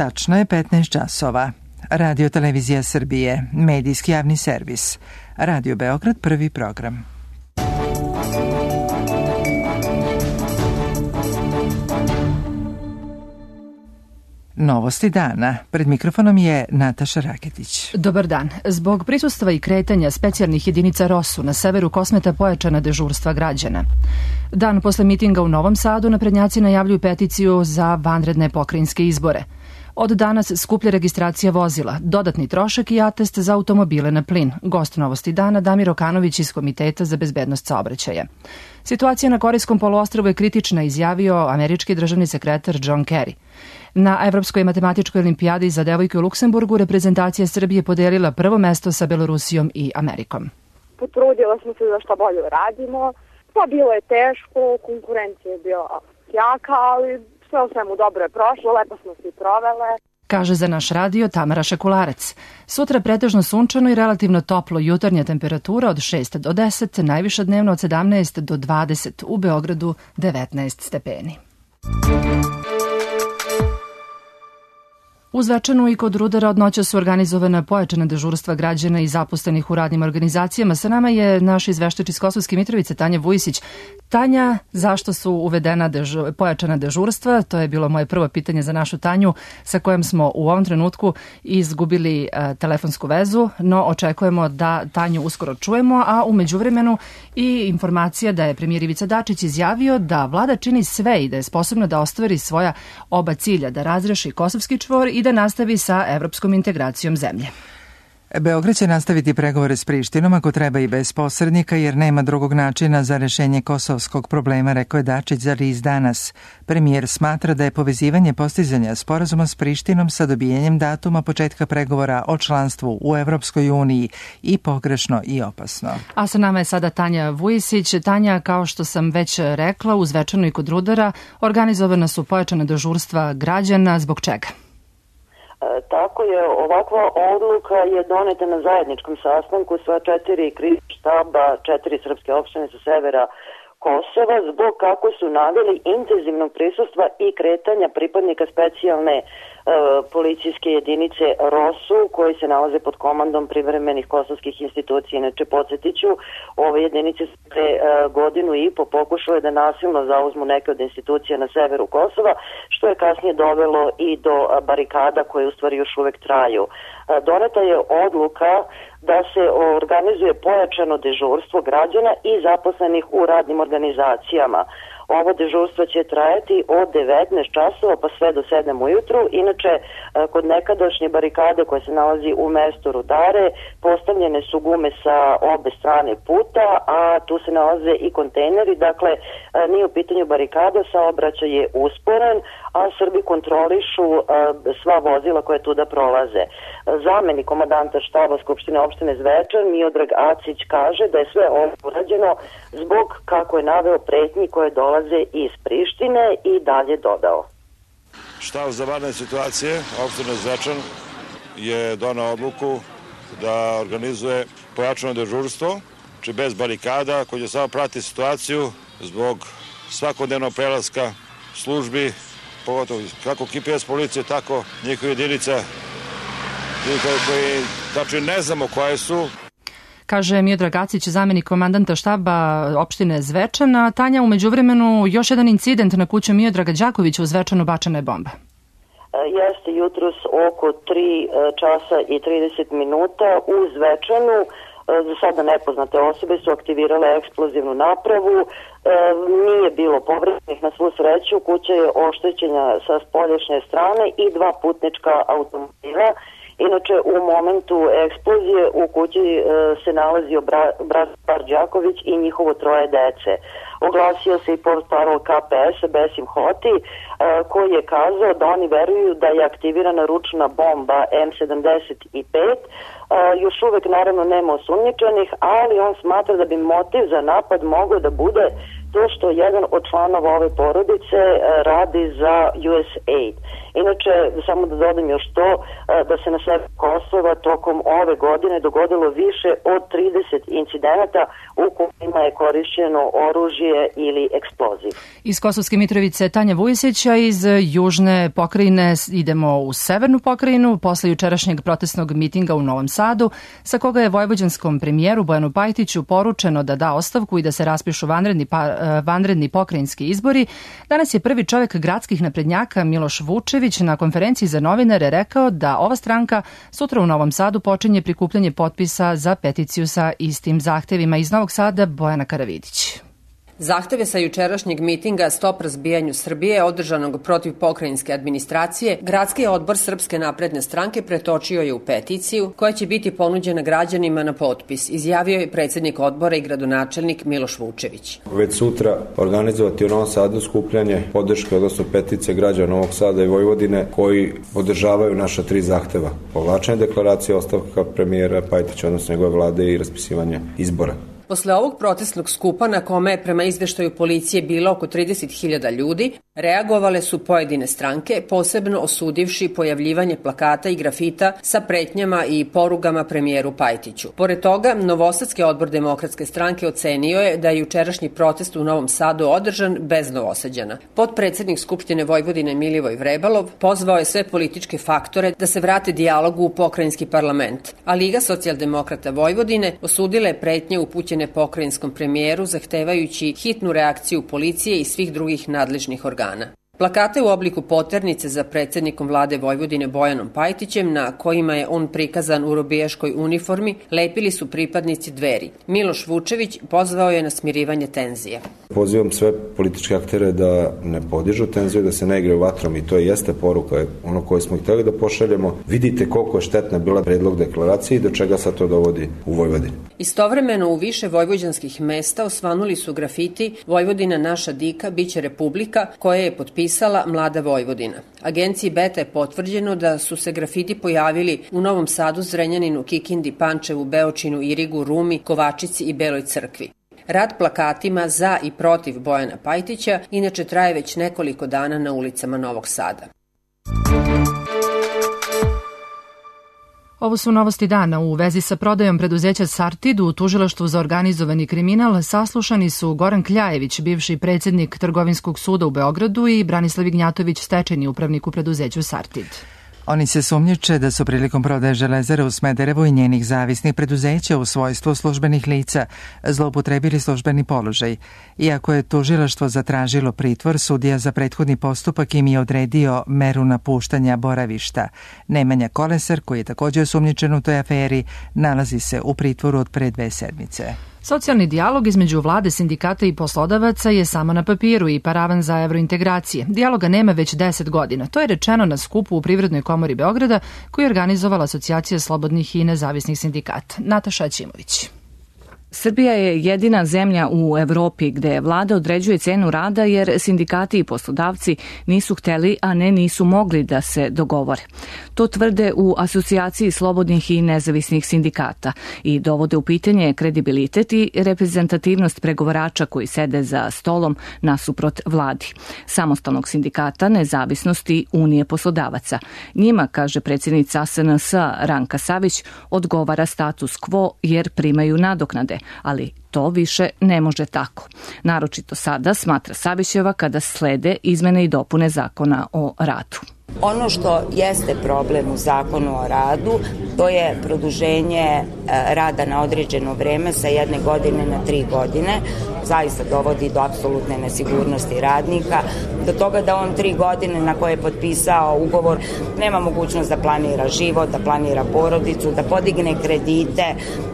Tačno je 15 časova. Radio Televizija Srbije, medijski javni servis. Radio Beograd, prvi program. Novosti dana. Pred mikrofonom je Nataša Raketić. Dobar dan. Zbog prisustva i kretanja specijalnih jedinica ROSU na severu Kosmeta pojačana dežurstva građana. Dan posle mitinga u Novom Sadu naprednjaci najavljuju peticiju za vanredne pokrajinske izbore. Od danas skuplja registracija vozila, dodatni trošak i atest za automobile na plin. Gost Novosti dana Damir Okanović iz Komiteta za bezbednost saobraćaja. Situacija na Korejskom poluostrvu je kritična, izjavio američki državni sekretar John Kerry. Na Evropskoj matematičkoj olimpijadi za devojke u Luksemburgu reprezentacija Srbije podelila prvo mesto sa Belorusijom i Amerikom. Potrudila smo se da što bolje radimo. Pa bilo je teško, konkurencija je bila jaka, ali sve u svemu dobro je prošlo, lepo smo se i provele. Kaže za naš radio Tamara Šakularac. Sutra pretežno sunčano i relativno toplo, jutarnja temperatura od 6 do 10, najviša dnevno od 17 do 20, u Beogradu 19 stepeni. U Zvečanu i kod Rudara od noća su organizovana pojačana dežurstva građana i zaposlenih u radnim organizacijama. Sa nama je naš izveštač iz Kosovske Mitrovice, Tanja Vujisić. Tanja, zašto su uvedena pojačana dežurstva? To je bilo moje prvo pitanje za našu Tanju, sa kojom smo u ovom trenutku izgubili telefonsku vezu, no očekujemo da Tanju uskoro čujemo, a u međuvremenu i informacija da je premijer Ivica Dačić izjavio da vlada čini sve i da je sposobna da ostvari svoja oba cilja, da razreši kosovski čvor i da nastavi sa evropskom integracijom zemlje. Beograd će nastaviti pregovore s Prištinom ako treba i bez posrednika, jer nema drugog načina za rešenje kosovskog problema, rekao je Dačić za RIS danas. Premijer smatra da je povezivanje postizanja sporazuma s Prištinom sa dobijanjem datuma početka pregovora o članstvu u Evropskoj uniji i pogrešno i opasno. A sa nama je sada Tanja Vujisić. Tanja, kao što sam već rekla, u Zvečanu i kod Rudara organizovana su pojačana dežurstva građana. Zbog čega? Tako je, ovakva odluka je doneta na zajedničkom sastanku sva 4 krizna štaba, 4 srpske opštine sa severa Kosova, zbog, kako su naveli, intenzivnog prisustva i kretanja pripadnika specijalne policijske jedinice ROSU, koji se nalaze pod komandom privremenih kosovskih institucija. Inače, podsjetiću, ove jedinice su pre godinu i po pokušale da nasilno zauzmu neke od institucija na severu Kosova, što je kasnije dovelo i do barikada koje u stvari još uvek traju. Doneta je odluka da se organizuje pojačano dežurstvo građana i zaposlenih u radnim organizacijama. Ovo dežurstvo će trajati od 19 časova pa sve do 7 ujutru. Inače, kod nekadašnje barikade koje se nalazi u mestu Rudare, postavljene su gume sa obe strane puta, a tu se nalaze i kontejneri. Dakle, nije u pitanju barikada, saobraćaj je usporen, a Srbi kontrolišu sva vozila koje tuda prolaze. Zamenik komandanta štaba Skupštine opštine Zvečan, Miodrag Acić, kaže da je sve ovo urađeno zbog, kako je naveo, pretnji koje dolaze iz Prištine i dalje dodao. Štab za vanredne situacije opštine Zvečan je donao odluku da organizuje pojačano dežurstvo, či bez barikada, koji će samo pratiti situaciju zbog svakodnevnog prelaska službi, pogotovo kako KPS policije, tako njihove jedinica, koji, znači ne znamo koje su. Kaže Miodrag Acić, zamenik komandanta štaba opštine Zvečana. Tanja, u međuvremenu još jedan incident na kuću Miodraga Đakovića u Zvečanu, bačena je bomba. Jeste jutros oko 3 časa i 30 minuta u Zvečanu. Za sada nepoznate osobe su aktivirale eksplozivnu napravu. Nije bilo povrednih, na svu sreću. Kuća je oštećena sa spoljašnje strane i 2 putnička automobila. Inače, u momentu eksplozije u kući se nalazio brat Đaković i njihovo 3 dece. Oglasio se i portparol KPS-a Besim Hoti, koji je kazao da oni veruju da je aktivirana ručna bomba M75. Još uvek naravno nema osumnjičenih, ali on smatra da bi motiv za napad mogao da bude to što jedan od članova ove porodice radi za USAID. Inače, samo da dodam još to, da se na severu Kosova tokom ove godine dogodilo više od 30 incidenata u kojima je korišćeno oružje ili eksploziv. Iz Kosovske Mitrovice Tanja Vujisića, iz južne pokrajine idemo u severnu pokrajinu posle jučerašnjeg protestnog mitinga u Novom Sadu, sa koga je vojvođanskom premijeru Bojanu Pajtiću poručeno da da ostavku i da se raspišu vanredni pokrajinski izbori. Danas je prvi čovjek gradskih naprednjaka Miloš Vučević na konferenciji za novinare rekao da ova stranka sutra u Novom Sadu počinje prikupljanje potpisa za peticiju sa istim zahtevima. Iz Novog Sada Bojana Karavidić. Zahteve sa jučerašnjeg mitinga Stop razbijanju Srbije, održanog protiv pokrajinske administracije, Gradski odbor Srpske napredne stranke pretočio je u peticiju koja će biti ponuđena građanima na potpis, izjavio je predsjednik odbora i gradonačelnik Miloš Vučević. Već sutra organizovati u Novom Sadu skupljanje podrške, odnosno petice građana Novog Sada i Vojvodine koji podržavaju naša 3 zahteva. Povlačenje deklaracije, ostavka premijera Pajtića, odnosno njegove vlade i raspisivanje izbora. Posle ovog protestnog skupa, na kome je prema izveštaju policije bilo oko 30.000 ljudi, reagovale su pojedine stranke, posebno osudivši pojavljivanje plakata i grafita sa pretnjama i porugama premijeru Pajtiću. Pored toga, Novosadski odbor Demokratske stranke ocenio je da je jučerašnji protest u Novom Sadu održan bez Novosađana. Potpredsednik Skupštine Vojvodine Milivoj Vrebalov pozvao je sve političke faktore da se vrate dijalogu u pokrajinski parlament, a Liga socijaldemokrata Vojvodine osudila je pretnje upućene pokrajinskom premijeru, zahtevajući hitnu reakciju policije i svih drugih nadležnih organa. Plakate u obliku poternice za predsjednikom vlade Vojvodine Bojanom Pajtićem, na kojima je on prikazan u robijaškoj uniformi, lepili su pripadnici Dveri. Miloš Vučević pozvao je na smirivanje tenzija. Pozivam sve političke aktere da ne podižu tenziju, da se ne igraju vatrom i to jeste poruka ono koje smo htjeli da pošaljemo. Vidite koliko je štetna bila predlog deklaracije i do čega sad to dovodi u Vojvodini. Istovremeno u više vojvođanskih mesta osvanuli su grafiti Vojvodina naša dika, biće republika, koje je potpisala Mlada Vojvodina. Agenciji Beta je potvrđeno da su se grafiti pojavili u Novom Sadu, Zrenjaninu, Kikindi, Pančevu, Beočinu, Irigu, Rumi, Kovačici i Beloj Crkvi. Rad plakatima za i protiv Bojana Pajtića inače traje već nekoliko dana na ulicama Novog Sada. Ovo su novosti dana. U vezi sa prodajom preduzeća Sartid u Tužilaštvu za organizovani kriminal saslušani su Goran Kljajević, bivši predsjednik Trgovinskog suda u Beogradu, i Branislav Ignjatović, stečajni upravnik u preduzeću Sartid. Oni se sumnjiče da su prilikom prodaje Železare u Smederevu i njenih zavisnih preduzeća u svojstvu službenih lica zloupotrebili službeni položaj. Iako je tužilaštvo zatražilo pritvor, sudija za prethodni postupak im je odredio meru napuštanja boravišta. Nemanja Kolesar, koji je također osumnjičen u toj aferi, nalazi se u pritvoru od pre 2 sedmice. Socijalni dijalog između vlade, sindikata i poslodavaca je samo na papiru i paravan za evrointegracije. Dijaloga nema već 10 godina. To je rečeno na skupu u Privrednoj komori Beograda koju je organizovala Asocijacija slobodnih i nezavisnih sindikata. Nataša Ćimović. Srbija je jedina zemlja u Evropi gde vlada određuje cenu rada jer sindikati i poslodavci nisu hteli, a ne nisu mogli da se dogovore. To tvrde u Asocijaciji slobodnih i nezavisnih sindikata i dovode u pitanje kredibilitet i reprezentativnost pregovarača koji sede za stolom nasuprot vladi. Samostalnog sindikata, nezavisnosti Unije poslodavaca. Njima, kaže predsjednica SNS Ranka Savić, odgovara status quo jer primaju nadoknade, ali to više ne može tako. Naročito sada, smatra Savićeva, kada slede izmene i dopune zakona o radu. Ono što jeste problem u zakonu o radu, to je produženje rada na određeno vreme sa 1 godine na 3 godine. Zaista dovodi do apsolutne nesigurnosti radnika, do toga da on 3 godine na koje je potpisao ugovor nema mogućnost da planira život, da planira porodicu, da podigne kredite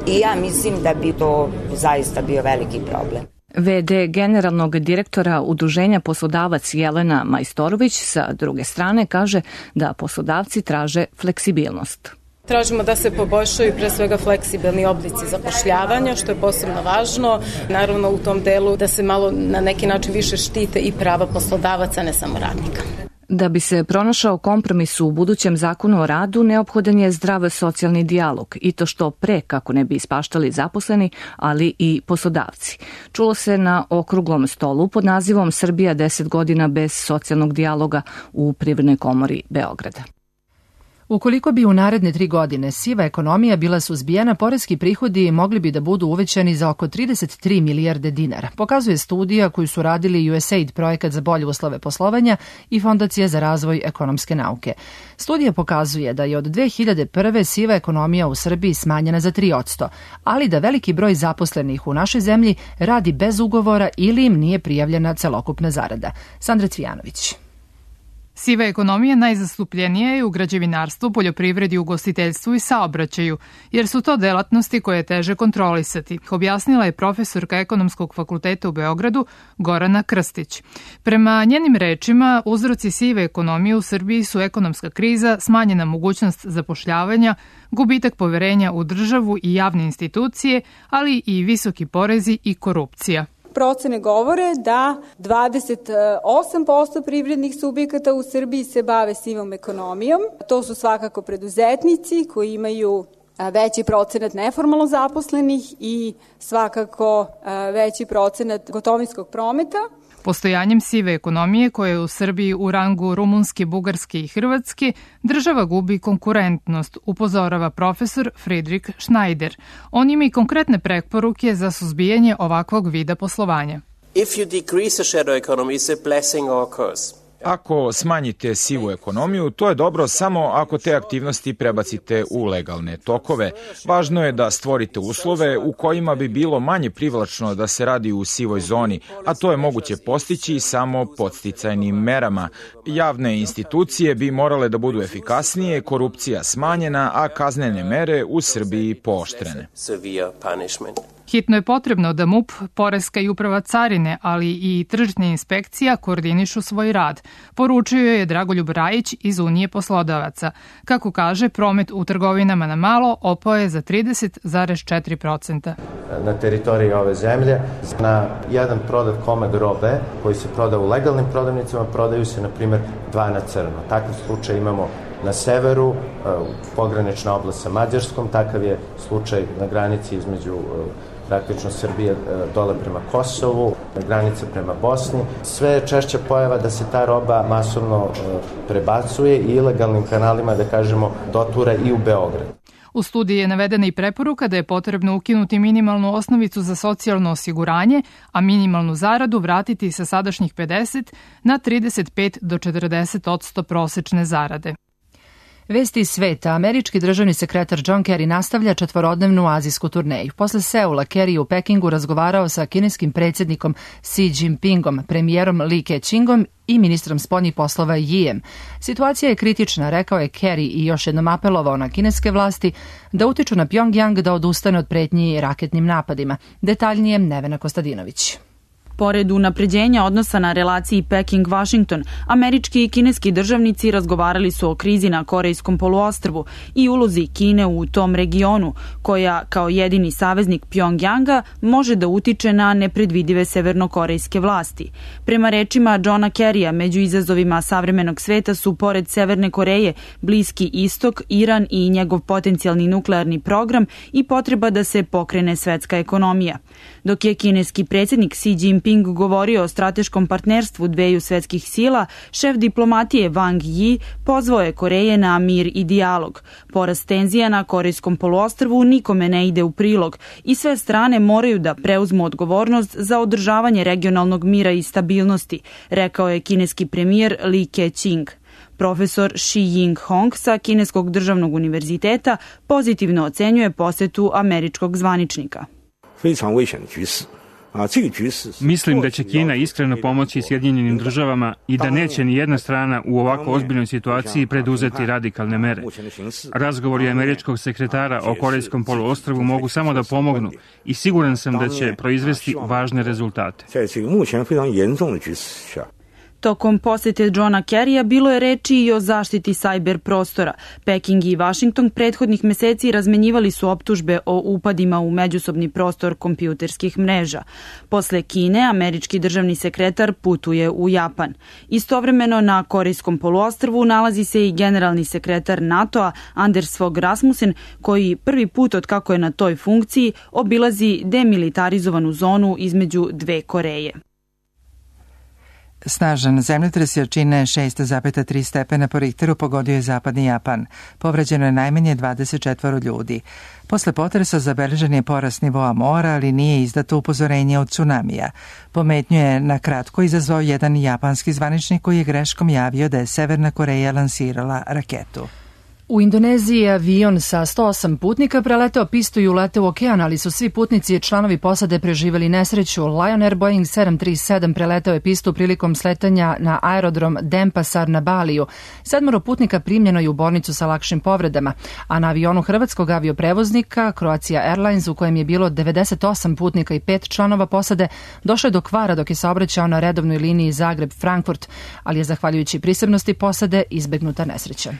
i ja mislim da bi to zaista bio veliki problem. VD generalnog direktora Udruženja poslodavac Jelena Majstorović sa druge strane kaže da poslodavci traže fleksibilnost. Tražimo da se poboljšaju pre svega fleksibilni oblici zapošljavanja, što je posebno važno. Naravno u tom delu da se malo na neki način više štite i prava poslodavaca, ne samo radnika. Da bi se pronašao kompromis u budućem zakonu o radu, neophodan je zdrav socijalni dijalog i to što pre kako ne bi ispaštali zaposleni, ali i poslodavci. Čulo se na okruglom stolu pod nazivom Srbija 10 godina bez socijalnog dijaloga u Privrednoj komori Beograda. Ukoliko bi u naredne 3 godine siva ekonomija bila suzbijena, poreski prihodi mogli bi da budu uvećani za oko 33 milijarde dinara, pokazuje studija koju su radili USAID, projekat za bolje uslove poslovanja i Fondacija za razvoj ekonomske nauke. Studija pokazuje da je od 2001. siva ekonomija u Srbiji smanjena za 3%, ali da veliki broj zaposlenih u našoj zemlji radi bez ugovora ili im nije prijavljena celokupna zarada. Sandra Cvijanović. Siva ekonomija najzastupljenija je u građevinarstvu, poljoprivredi, ugostiteljstvu i saobraćaju, jer su to delatnosti koje je teže kontrolisati, objasnila je profesorka Ekonomskog fakulteta u Beogradu Gorana Krstić. Prema njenim rečima, uzroci sive ekonomije u Srbiji su ekonomska kriza, smanjena mogućnost zapošljavanja, gubitak poverenja u državu i javne institucije, ali i visoki porezi i korupcija. Procene govore da 28% privrednih subjekata u Srbiji se bave sivom ekonomijom. To su svakako preduzetnici koji imaju veći procenat neformalno zaposlenih i svakako veći procenat gotovinskog prometa. Postojanjem sive ekonomije koja je u Srbiji u rangu Rumunske, Bugarske i Hrvatske, država gubi konkurentnost, upozorava profesor Friedrich Schneider. On ima i konkretne preporuke za suzbijanje ovakvog vida poslovanja. If you decrease the shadow economy, is a blessing or a curse? Ako smanjite sivu ekonomiju, to je dobro samo ako te aktivnosti prebacite u legalne tokove. Važno je da stvorite uslove u kojima bi bilo manje privlačno da se radi u sivoj zoni, a to je moguće postići samo podsticajnim merama. Javne institucije bi morale da budu efikasnije, korupcija smanjena, a kaznene mere u Srbiji pooštrene. Hitno je potrebno da MUP, Poreska i uprava carine, ali i tržišna inspekcija koordinišu svoj rad, poručio je Dragoljub Rajić iz Unije poslodavaca. Kako kaže, promet u trgovinama na malo opao je za 30,4%. Na teritoriji ove zemlje, na jedan prodat komad robe koji se proda u legalnim prodavnicama, prodaju se, na primjer, 2 na crno. Takav slučaj imamo na severu, pogranična oblast sa Mađarskom, takav je slučaj na granici između praktično Srbije dole prema Kosovu, granica prema Bosni. Sve je češća pojava da se ta roba masovno prebacuje i ilegalnim kanalima, da kažemo, dotura i u Beograd. U studiji je navedena i preporuka da je potrebno ukinuti minimalnu osnovicu za socijalno osiguranje, a minimalnu zaradu vratiti sa sadašnjih 50 na 35 do 40% prosečne zarade. Vesti iz sveta. Američki državni sekretar John Kerry nastavlja 4-dnevnu azijsku turneju. Posle Seula, Kerry je u Pekingu razgovarao sa kineskim predsjednikom Xi Jinpingom, premijerom Li Keqiangom i ministrom spoljnih poslova Yijem. Situacija je kritična, rekao je Kerry i još jednom apelovao na kineske vlasti da utiču na Pjongjang da odustane od pretnji raketnim napadima. Detaljnije Nevena Kostadinović. Pored unapređenja odnosa na relaciji Peking-Washington, američki i kineski državnici razgovarali su o krizi na Korejskom poluostrvu i ulozi Kine u tom regionu, koja kao jedini saveznik Pjongjanga može da utiče na nepredvidive severnokorejske vlasti. Prema rečima Johna Kerrya, među izazovima savremenog sveta su pored Severne Koreje, Bliski istok, Iran i njegov potencijalni nuklearni program i potreba da se pokrene svetska ekonomija. Dok je kineski predsjednik Xi Jinping govorio o strateškom partnerstvu dveju svetskih sila, šef diplomatije Wang Yi pozvao je Koreje na mir i dijalog. Porast tenzija na Korejskom poluostrvu nikome ne ide u prilog i sve strane moraju da preuzmu odgovornost za održavanje regionalnog mira i stabilnosti, rekao je kineski premijer Li Keqiang. Profesor Shi Ying-hong sa Kineskog državnog univerziteta pozitivno ocenjuje posetu američkog zvaničnika. Mislim da će Kina iskreno pomoći Sjedinjenim državama i da neće ni jedna strana u ovako ozbiljnoj situaciji preduzeti radikalne mere. Razgovori američkog sekretara o Korejskom poluostrvu mogu samo da pomognu i siguran sam da će proizvesti važne rezultate. Tokom posete Johna Kerrya bilo je reči i o zaštiti sajber prostora. Peking i Washington prethodnih meseci razmenjivali su optužbe o upadima u međusobni prostor kompjuterskih mreža. Posle Kine, američki državni sekretar putuje u Japan. Istovremeno na Korejskom poluostrvu nalazi se i generalni sekretar NATO-a Anders Fogh Rasmussen, koji prvi put od kako je na toj funkciji obilazi demilitarizovanu zonu između dve Koreje. Snažan zemljotres jačine 6,3 stepena po Richteru pogodio je zapadni Japan. Povređeno je najmanje 24 ljudi. Posle potresa zabeležen je porast nivoa mora, ali nije izdato upozorenje od tsunamija. Pometnju je na kratko izazvao jedan japanski zvaničnik koji je greškom javio da je Severna Koreja lansirala raketu. U Indoneziji je avion sa 108 putnika preleteo pistu i uleteo u okean, ali su svi putnici i članovi posade preživjeli nesreću. Lion Air Boeing 737 preleteo je pistu prilikom sletanja na aerodrom Denpasar na Baliju. 7 putnika primljeno je u bolnicu sa lakšim povredama, a na avionu hrvatskog avioprevoznika Croatia Airlines, u kojem je bilo 98 putnika i 5 članova posade, došlo je do kvara dok je saobraćao na redovnoj liniji Zagreb-Frankfurt, ali je zahvaljujući prisebnosti posade izbegnuta nesreća.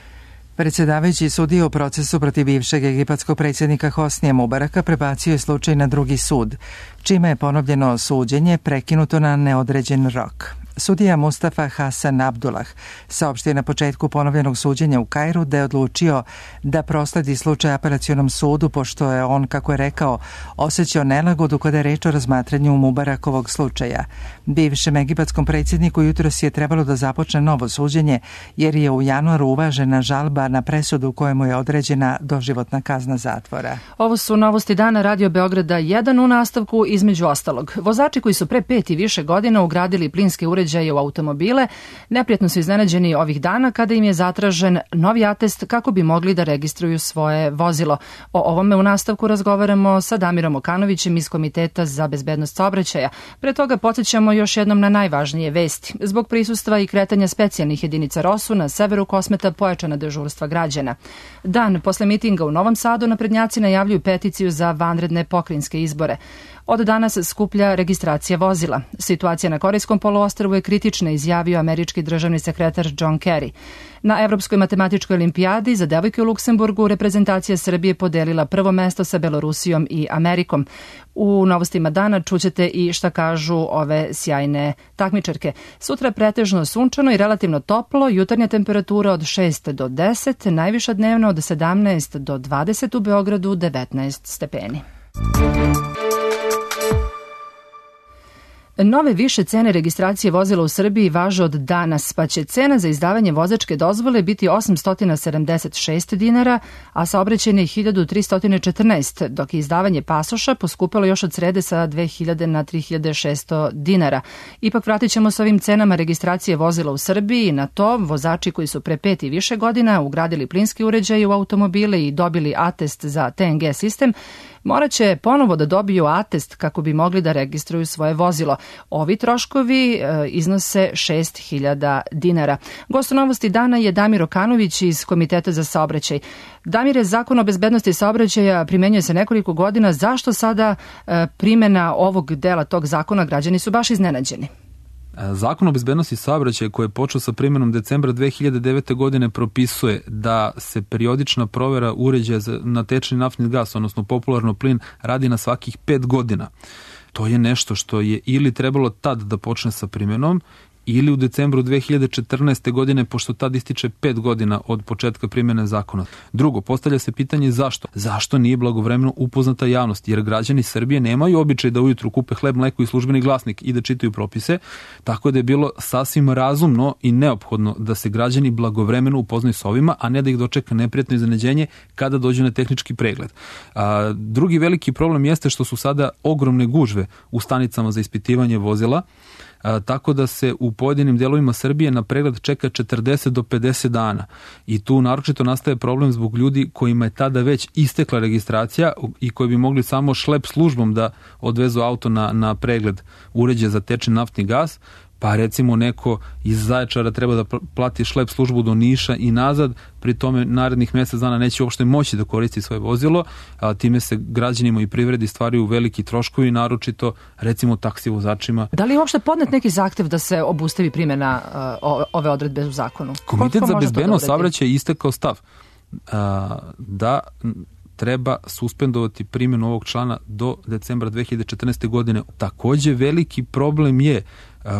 Predsjedavajući sudija u procesu protiv bivšeg egipatskog predsjednika Hosnija Mubaraka prebacio je slučaj na drugi sud, čime je ponovljeno suđenje prekinuto na neodređen rok. Sudija Mustafa Hasan Abdullah saopštio na početku ponovljenog suđenja u Kairu da je odlučio da prosledi slučaj apelacionom sudu, pošto je on, kako je rekao, osjećao nelagodu kada je reč o razmatranju Mubarakovog slučaja. Bivšem egipatskom predsjedniku jutros je trebalo da započne novo suđenje, jer je u januaru uvažena žalba na presudu kojemu je određena doživotna kazna zatvora. Ovo su novosti dana Radio Beograda 1 u nastavku. Između ostalog, vozači koji su pre 5 i više godina ugradili plinske uređaje u automobile neprijatno su iznenađeni ovih dana kada im je zatražen novi atest kako bi mogli da registruju svoje vozilo. O ovome u nastavku razgovaramo sa Damirom Okanovićem iz Komiteta za bezbednost saobraćaja. Pre toga podsjećamo još jednom na najvažnije vesti. Zbog prisustva i kretanja specijalnih jedinica ROSU na severu Kosmeta pojačana dežurstva građana. Dan posle mitinga u Novom Sadu naprednjaci najavljuju peticiju za vanredne pokrajinske izbore. Od danas skuplja registracija vozila. Situacija na Korejskom poluostrvu je kritična, izjavio američki državni sekretar John Kerry. Na Evropskoj matematičkoj olimpijadi za devojke u Luksemburgu reprezentacija Srbije podelila prvo mesto sa Belorusijom i Amerikom. U novostima dana čućete i šta kažu ove sjajne takmičarke. Sutra pretežno sunčano i relativno toplo, jutarnja temperatura od 6 do 10, najviša dnevna od 17 do 20, u Beogradu 19 stepeni. Nove više cene registracije vozila u Srbiji važe od danas, pa će cena za izdavanje vozačke dozvole biti 876 dinara, a saobraćajne 1314, dok je izdavanje pasoša poskupilo još od srede sa 2000 na 3600 dinara. Ipak vratit ćemo s ovim cenama registracije vozila u Srbiji na to vozači koji su pre 5 i više godina ugradili plinski uređaj u automobile i dobili atest za TNG sistem, morat će ponovo da dobiju atest kako bi mogli da registruju svoje vozilo. Ovi troškovi iznose 6.000 dinara. Gost u novosti dana je Damir Okanović iz Komiteta za saobraćaj. Damire, Zakon o bezbednosti saobraćaja primenjuje se nekoliko godina. Zašto sada primjena ovog dela tog zakona? Građani su baš iznenađeni. Zakon o bezbednosti saobraćaja koji je počeo sa primjenom decembra 2009. godine propisuje da se periodična provera uređaja na tečni naftni gas, odnosno popularno plin, radi na svakih 5 godina. To je nešto što je ili trebalo tad da počne sa primjenom ili u decembru 2014. godine, pošto tad ističe 5 godina od početka primjene zakona. Drugo, postavlja se pitanje zašto? Zašto nije blagovremeno upoznata javnost? Jer građani Srbije nemaju običaj da ujutru kupe hleb, mleko i službeni glasnik i da čitaju propise, tako da je bilo sasvim razumno i neophodno da se građani blagovremeno upoznaju s ovima, a ne da ih dočeka neprijatno iznenađenje kada dođu na tehnički pregled. Drugi veliki problem jeste što su sada ogromne gužve u stanicama za ispitivanje vozila, tako da se u pojedinim delovima Srbije na pregled čeka 40 do 50 dana. I tu naročito nastaje problem zbog ljudi kojima je tada već istekla registracija i koji bi mogli samo šlep službom da odvezu auto na pregled uređaja za tečni naftni gas, pa recimo neko iz Zaječara treba da plati šlep službu do Niša i nazad, pri tome narednih mjesec dana neće uopšte moći da koristi svoje vozilo, a time se građanima i privredi stvaraju veliki troškovi, naročito recimo taksi vozačima. Da li je uopšte podnet neki zahtev da se obustavi primjena ove odredbe u zakonu? Komitet za bezbednost saobraćaja je istakao stav da treba suspendovati primjenu ovog člana do decembra 2014. godine. Također veliki problem je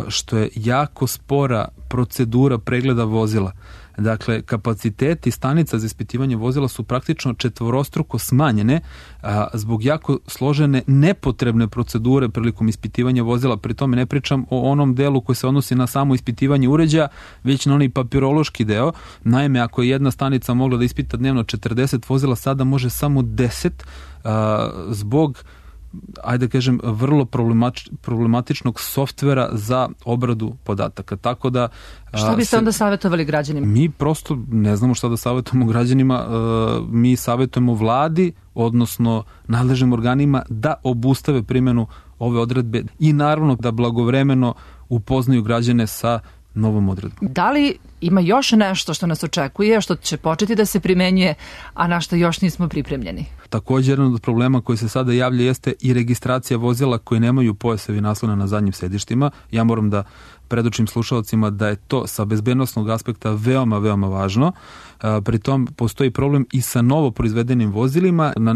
što je jako spora procedura pregleda vozila. Dakle, kapaciteti stanica za ispitivanje vozila su praktično četvorostruko smanjene zbog jako složene nepotrebne procedure prilikom ispitivanja vozila. Pri tome ne pričam o onom delu koji se odnosi na samo ispitivanje uređaja, već na onaj papirološki deo. Naime, ako je jedna stanica mogla da ispita dnevno 40 vozila, sada može samo 10 zbog ajde kažem, vrlo problematičnog softvera za obradu podataka. Tako da... Šta biste onda savjetovali građanima? Mi prosto ne znamo šta da savjetujemo građanima. Mi savjetujemo vladi, odnosno nadležnim organima da obustave primjenu ove odredbe i naravno da blagovremeno upoznaju građane sa novom odredbom. Da li ima još nešto što nas očekuje, što će početi da se primenjuje, a na što još nismo pripremljeni? Također, jedan od problema koji se sada javlja jeste i registracija vozila koji nemaju pojasevi naslona na zadnjim sedištima. Ja moram da predočim slušalcima da je to sa bezbednosnog aspekta veoma, veoma važno. Pritom postoji problem i sa novo proizvedenim vozilima. Na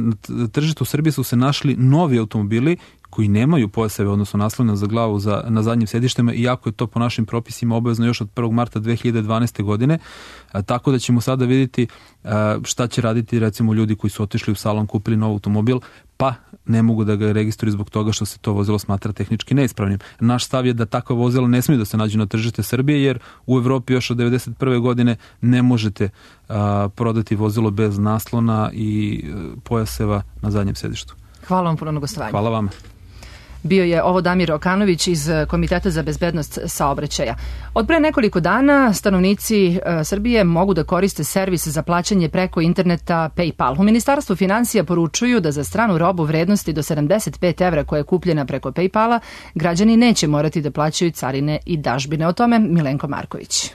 tržištu Srbije su se našli novi automobili koji nemaju pojaseve, odnosno naslone za glavu na zadnjim sedištima, iako je to po našim propisima obavezno još od 1. marta 2012. godine. Tako da ćemo sada vidjeti šta će raditi recimo ljudi koji su otišli u salon, kupili nov automobil, pa ne mogu da ga registruju zbog toga što se to vozilo smatra tehnički neispravnim. Naš stav je da takva vozila ne smiju da se nađu na tržište Srbije, jer u Evropi još od 1991. godine ne možete prodati vozilo bez naslona i pojaseva na zadnjem sedištu. Hvala vam puno na gostovanju. Hvala vam. Bio je ovo Damir Okanović iz Komiteta za bezbednost saobraćaja. Od pre nekoliko dana stanovnici Srbije mogu da koriste servis za plaćanje preko interneta PayPal. U Ministarstvu finansija poručuju da za stranu robu vrednosti do 75 evra koja je kupljena preko PayPala građani neće morati da plaćaju carine i dažbine. O tome Milenko Marković.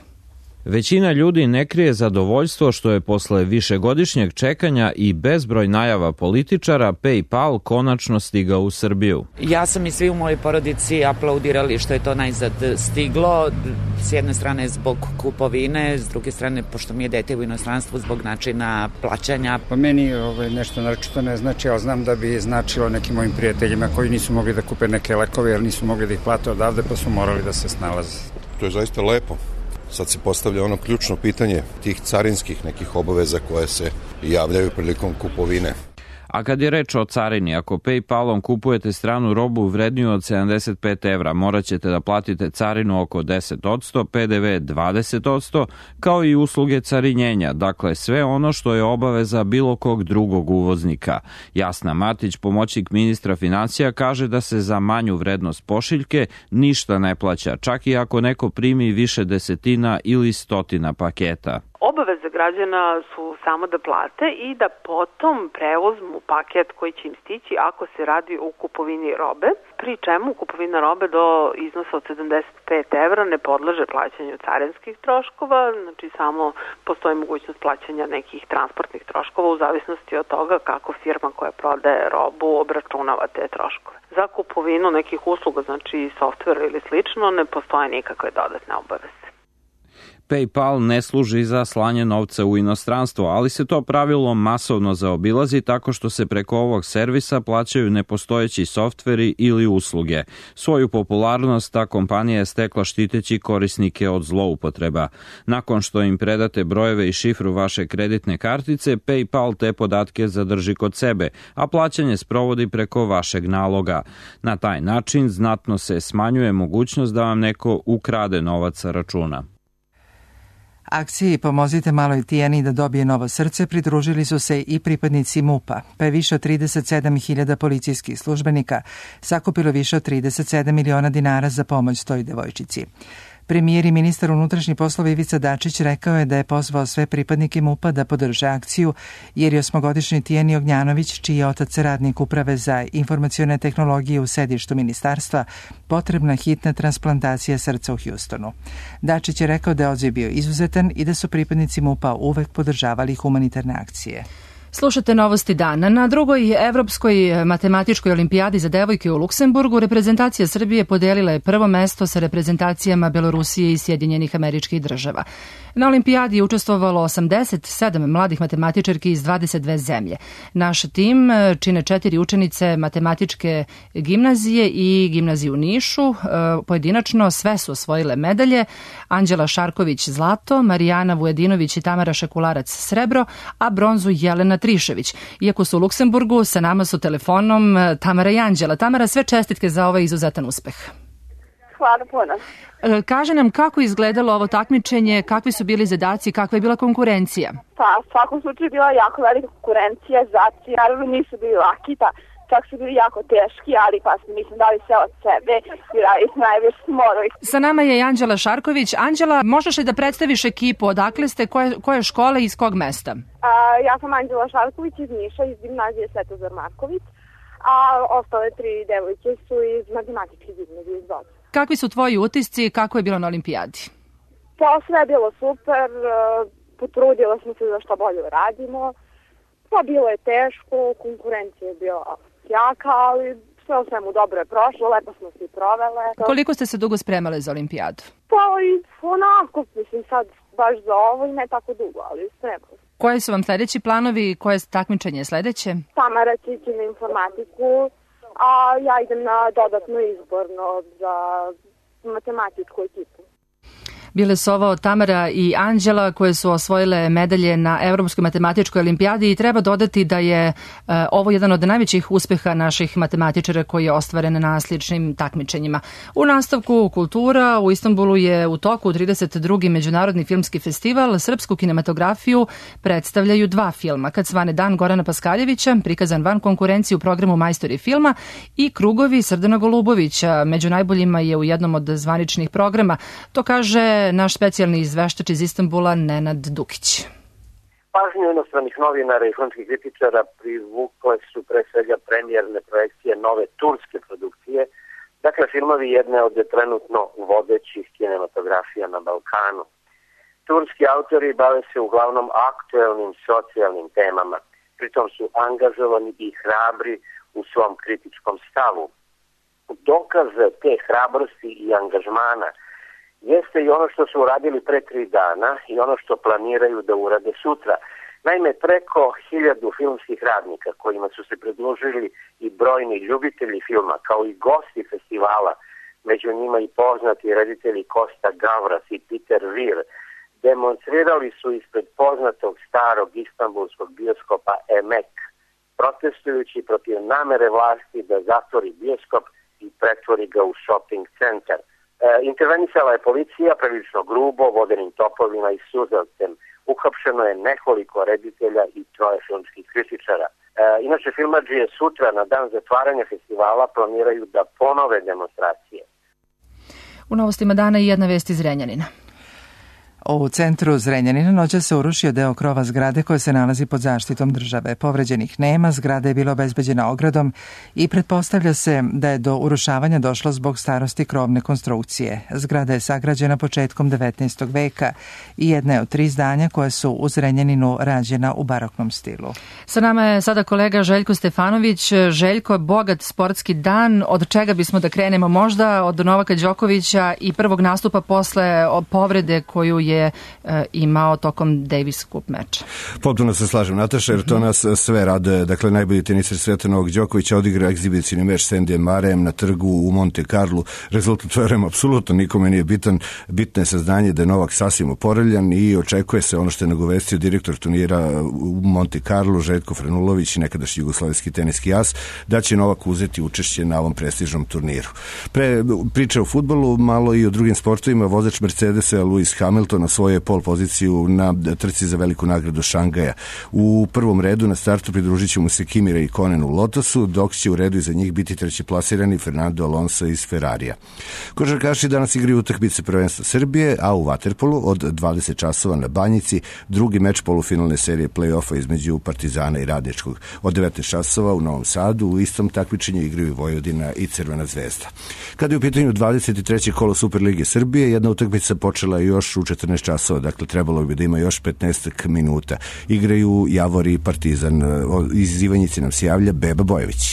Većina ljudi ne krije zadovoljstvo što je posle višegodišnjeg čekanja i bezbroj najava političara PayPal konačno stigao u Srbiju. Ja sam i svi u mojoj porodici aplaudirali što je to najzad stiglo. S jedne strane zbog kupovine, s druge strane pošto mi je dete u inostranstvu zbog načina plaćanja. Po meni nešto naročito ne znači, ali znam da bi značilo nekim mojim prijateljima koji nisu mogli da kupe neke lekove jer nisu mogli da ih plate odavde pa su morali da se snalaze. To je zaista lepo. Sad se postavlja ono ključno pitanje tih carinskih nekih obaveza koje se javljaju prilikom kupovine. A kad je reč o carini, ako PayPalom kupujete stranu robu vredniju od 75 evra, morat ćete da platite carinu oko 10%, PDV 20%, kao i usluge carinjenja, dakle sve ono što je obaveza bilo kog drugog uvoznika. Jasna Matić, pomoćnik ministra finansija, kaže da se za manju vrednost pošiljke ništa ne plaća, čak i ako neko primi više desetina ili stotina paketa. Obaveze građana su samo da plate i da potom preuzmu paket koji će im stići ako se radi o kupovini robe, pri čemu kupovina robe do iznosa od 75 evra ne podleže plaćanju carinskih troškova, znači samo postoji mogućnost plaćanja nekih transportnih troškova u zavisnosti od toga kako firma koja prodaje robu obračunava te troškove. Za kupovinu nekih usluga, znači software ili slično, ne postoje nikakve dodatne obaveze. PayPal ne služi za slanje novca u inostranstvo, ali se to pravilo masovno zaobilazi tako što se preko ovog servisa plaćaju nepostojeći softveri ili usluge. Svoju popularnost ta kompanija je stekla štiteći korisnike od zloupotreba. Nakon što im predate brojeve i šifru vaše kreditne kartice, PayPal te podatke zadrži kod sebe, a plaćanje sprovodi preko vašeg naloga. Na taj način znatno se smanjuje mogućnost da vam neko ukrade novac sa računa. Akciji Pomozite maloj Tijani da dobije novo srce pridružili su se i pripadnici MUP-a, pa je više od 37.000 policijskih službenika sakupilo više od 37 miliona dinara za pomoć toj devojčici. Premijer i ministar unutrašnjih poslova Ivica Dačić rekao je da je pozvao sve pripadnike MUP-a da podrže akciju, jer je 8-godišnji Tijeni Ognjanović, čiji je otac radnik Uprave za informacione tehnologije u sedištu ministarstva, potrebna hitna transplantacija srca u Hjustonu. Dačić je rekao da je odziv bio izuzetan i da su pripadnici MUP-a uvek podržavali humanitarne akcije. Slušate Novosti dana. Na drugoj Evropskoj matematičkoj olimpijadi za devojke u Luksemburgu reprezentacija Srbije podelila je prvo mesto sa reprezentacijama Belorusije i Sjedinjenih Američkih Država. Na olimpijadi je učestvovalo 87 mladih matematičarki iz 22 zemlje. Naš tim čine 4 učenice matematičke gimnazije i gimnazije u Nišu. Pojedinačno sve su osvojile medalje: Anđela Šarković zlato, Marijana Vujedinović i Tamara Šekularac srebro, a bronzu Jelena Trišević. Iako su u Luksemburgu, sa nama su telefonom Tamara i Anđela. Tamara, sve čestitke za ovaj izuzetan uspeh. Hvala puno. Kaže nam kako izgledalo ovo takmičenje, kakvi su bili zadaci, kakva je bila konkurencija? Pa, u svakom slučaju bila jako velika konkurencija, zadaci naravno nisu bili laki, pa čak su bili jako teški, ali pa smo dali sve od sebe i radili smo najviše smo morali. Sa nama je i Anđela Šarković. Anđela, možeš li da predstaviš ekipu, odakle ste, koje škole i iz kog mesta? Ja sam Anđela Šarković iz Niša, iz gimnazije Svetozar Marković, a ostale 3 devojke su iz matematičke gimnazije iz Boca. Kakvi su tvoji utisci, kako je bilo na olimpijadi? Pa sve je bilo super, potrudila smo se da što bolje radimo, pa bilo je teško, konkurencija je bila jaka, ali sve u svemu dobro je prošlo, lepo smo se i provele. Koliko ste se dugo spremale za olimpijadu? Pa i onako, mislim sad baš za ovo i ne tako dugo, ali spremali. Koji su vam sledeći planovi, koje takmičenje je sledeće? Tamara će ići na informatiku, a ja idem na dodatno izborno za matematičku ekipu. Bile su ovo Tamara i Anđela koje su osvojile medalje na Evropskoj matematičkoj olimpijadi i treba dodati da je ovo jedan od najvećih uspeha naših matematičara koji je ostvaren na sličnim takmičenjima. U nastavku kultura u Istanbulu je u toku 32. Međunarodni filmski festival. Srpsku kinematografiju predstavljaju 2 filma: Kad svane dan Gorana Paskaljevića, prikazan van konkurencije u programu Majstori filma, i Krugovi Srdana Golubovića. Među najboljima je u jednom od zvaničnih programa. To kaže naš specijalni izveštač iz Istanbula Nenad Dukić. Pažnju inostranih novinara i filmskih kritičara privukle su pre svega premijerne projekcije nove turske produkcije, dakle filmovi jedne od trenutno vodećih kinematografija na Balkanu. Turski autori bave se uglavnom aktuelnim socijalnim temama, pritom su angažovani i hrabri u svom kritičkom stavu. Dokaz te hrabrosti i angažmana jeste i ono što su uradili pre 3 dana i ono što planiraju da urade sutra. Naime, preko 1000 filmskih radnika kojima su se pridružili i brojni ljubitelji filma, kao i gosti festivala, među njima i poznati reditelji Kosta Gavras i Peter Weir, demonstrirali su ispred poznatog starog istanbulskog bioskopa Emek, protestujući protiv namere vlasti da zatvori bioskop i pretvori ga u shopping centar. Intervenisala je policija prilično grubo, vodenim topovima i suzavcem. Uhapšeno je nekoliko reditelja i 3 filmskih kritičara. Inače, filmadžije sutra na dan zatvaranja festivala planiraju da ponove demonstracije. U novostima dana i jedna vest iz Zrenjanina. U centru Zrenjanina noća se urušio deo krova zgrade koja se nalazi pod zaštitom države. Povređenih nema, zgrada je bila obezbeđena ogradom i pretpostavlja se da je do urušavanja došlo zbog starosti krovne konstrukcije. Zgrada je sagrađena početkom 19. veka i jedna je od 3 zdanja koja su u Zrenjaninu rađena u baroknom stilu. Sa nama je sada kolega Željko Stefanović. Željko, bogat sportski dan, od čega bismo da krenemo? Možda od Novaka Đokovića i prvog nastupa posle povrede koju je imao tokom Davis Cup meča. Potpuno se slažem, Nataša, jer to nas sve raduje. Dakle, najbolji teniser sveta Novak Đoković odigra egzibicijni meč s Andyjem Murrayem na trgu u Monte Carlo. Rezultat, verujem, apsolutno nikome nije bitan. Bitno je saznanje da je Novak sasvim oporavljan i očekuje se ono što je nagovestio direktor turnira u Monte Carlo, Željko Frenulović, nekadašnji jugoslavijski teniski as, da će Novak uzeti učešće na ovom prestižnom turniru. Priče o fudbalu, malo i o drugim sportovima. Vozač Mercedesa Lewis Hamilton osvojio pol poziciju na trci za veliku nagradu Šangaja. U prvom redu na startu pridružit će mu se Kimi Räikkönen u Lotusu, dok će u redu iza njih biti treći plasirani Fernando Alonso iz Ferrarija. Košarkaši danas igraju utakmice prvenstva Srbije, a u vaterpolu od 20 časova na Banjici drugi meč polufinalne serije play-offa između Partizana i Radničkog. Od 19 časova u Novom Sadu u istom takmičenju igraju Vojvodina i Crvena zvezda. Kada je u pitanju 23. kolo Superlige Srbije, jedna utakmica počela još u 14 časova, dakle trebalo bi da ima još 15 minuta. Igraju Javor i Partizan. Iz Ivanjice nam se javlja Beba Bojević.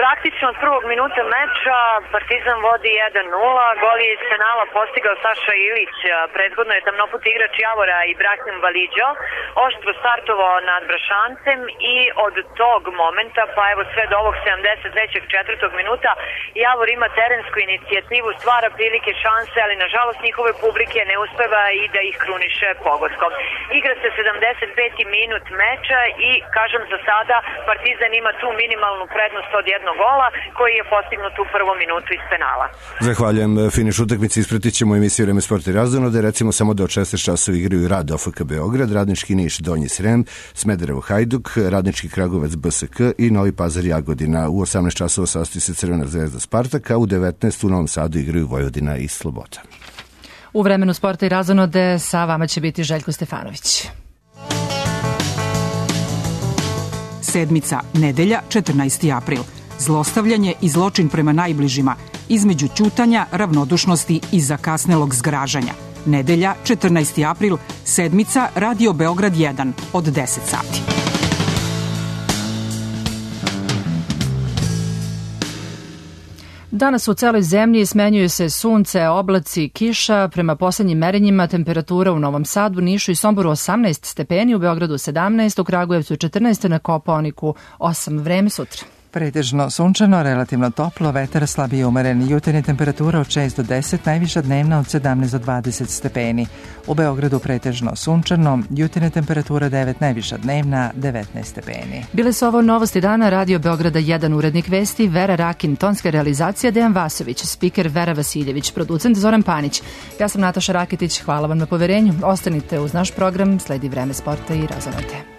Praktično od prvog minuta meča Partizan vodi 1-0, gol je iz penala postigao Saša Ilić, prethodno je tamnoput igrač Javora Ibrahim Validžo oštro startovao nad Brašancem i od tog momenta pa evo sve do ovog 73. četvrtog minuta Javor ima terensku inicijativu, stvara prilike, šanse, ali nažalost njihove publike ne uspeva i da ih kruniše pogodkom. Igra se 75. minut meča i kažem za sada Partizan ima tu minimalnu prednost od jednog gola koji je postignut u prvom minutu iz penala. Zahvaljujem. Finiš utakmice ispratit ćemo emisiju Vreme sporta i razonode. Recimo samo da od 16 časova igraju Rad OFK Beograd, Radnički Niš Donji Srem, Smederevo Hajduk, Radnički Kragujevac BSK i Novi Pazar Jagodina. U 18 časova sastoji se Crvena zvezda Spartak, a u 19 u Novom Sadu igraju Vojvodina i Sloboda. U Vremenu sporta i razonode sa vama će biti Željko Stefanović. Sedmica, nedelja, 14. april. Zlostavljanje i zločin prema najbližima, između ćutanja, ravnodušnosti i zakasnelog zgražanja. Nedelja, 14. april, sedmica, Radio Beograd 1 od 10 sati. Danas u celoj zemlji smenjuju se sunce, oblaci, kiša. Prema poslednjim merenjima temperatura u Novom Sadu, Nišu i Somboru 18 stepeni, u Beogradu 17, u Kragujevcu 14, na Kopaoniku 8. Vreme sutra. Pretežno sunčano, relativno toplo, vetar slabije umeren, jutarnja temperatura od 6 do 10, najviša dnevna od 17 do 20 stepeni. U Beogradu pretežno sunčano, jutarnja temperatura 9, najviša dnevna 19 stepeni. Bile su ovo novosti dana, Radio Beograda 1, urednik vesti Vera Rakin, tonska realizacija Dejan Vasović, spiker Vera Vasiljević, producent Zoran Panić. Ja sam Nataša Rakitić, hvala vam na poverenju. Ostanite uz naš program, sledi Vreme sporta i razonode.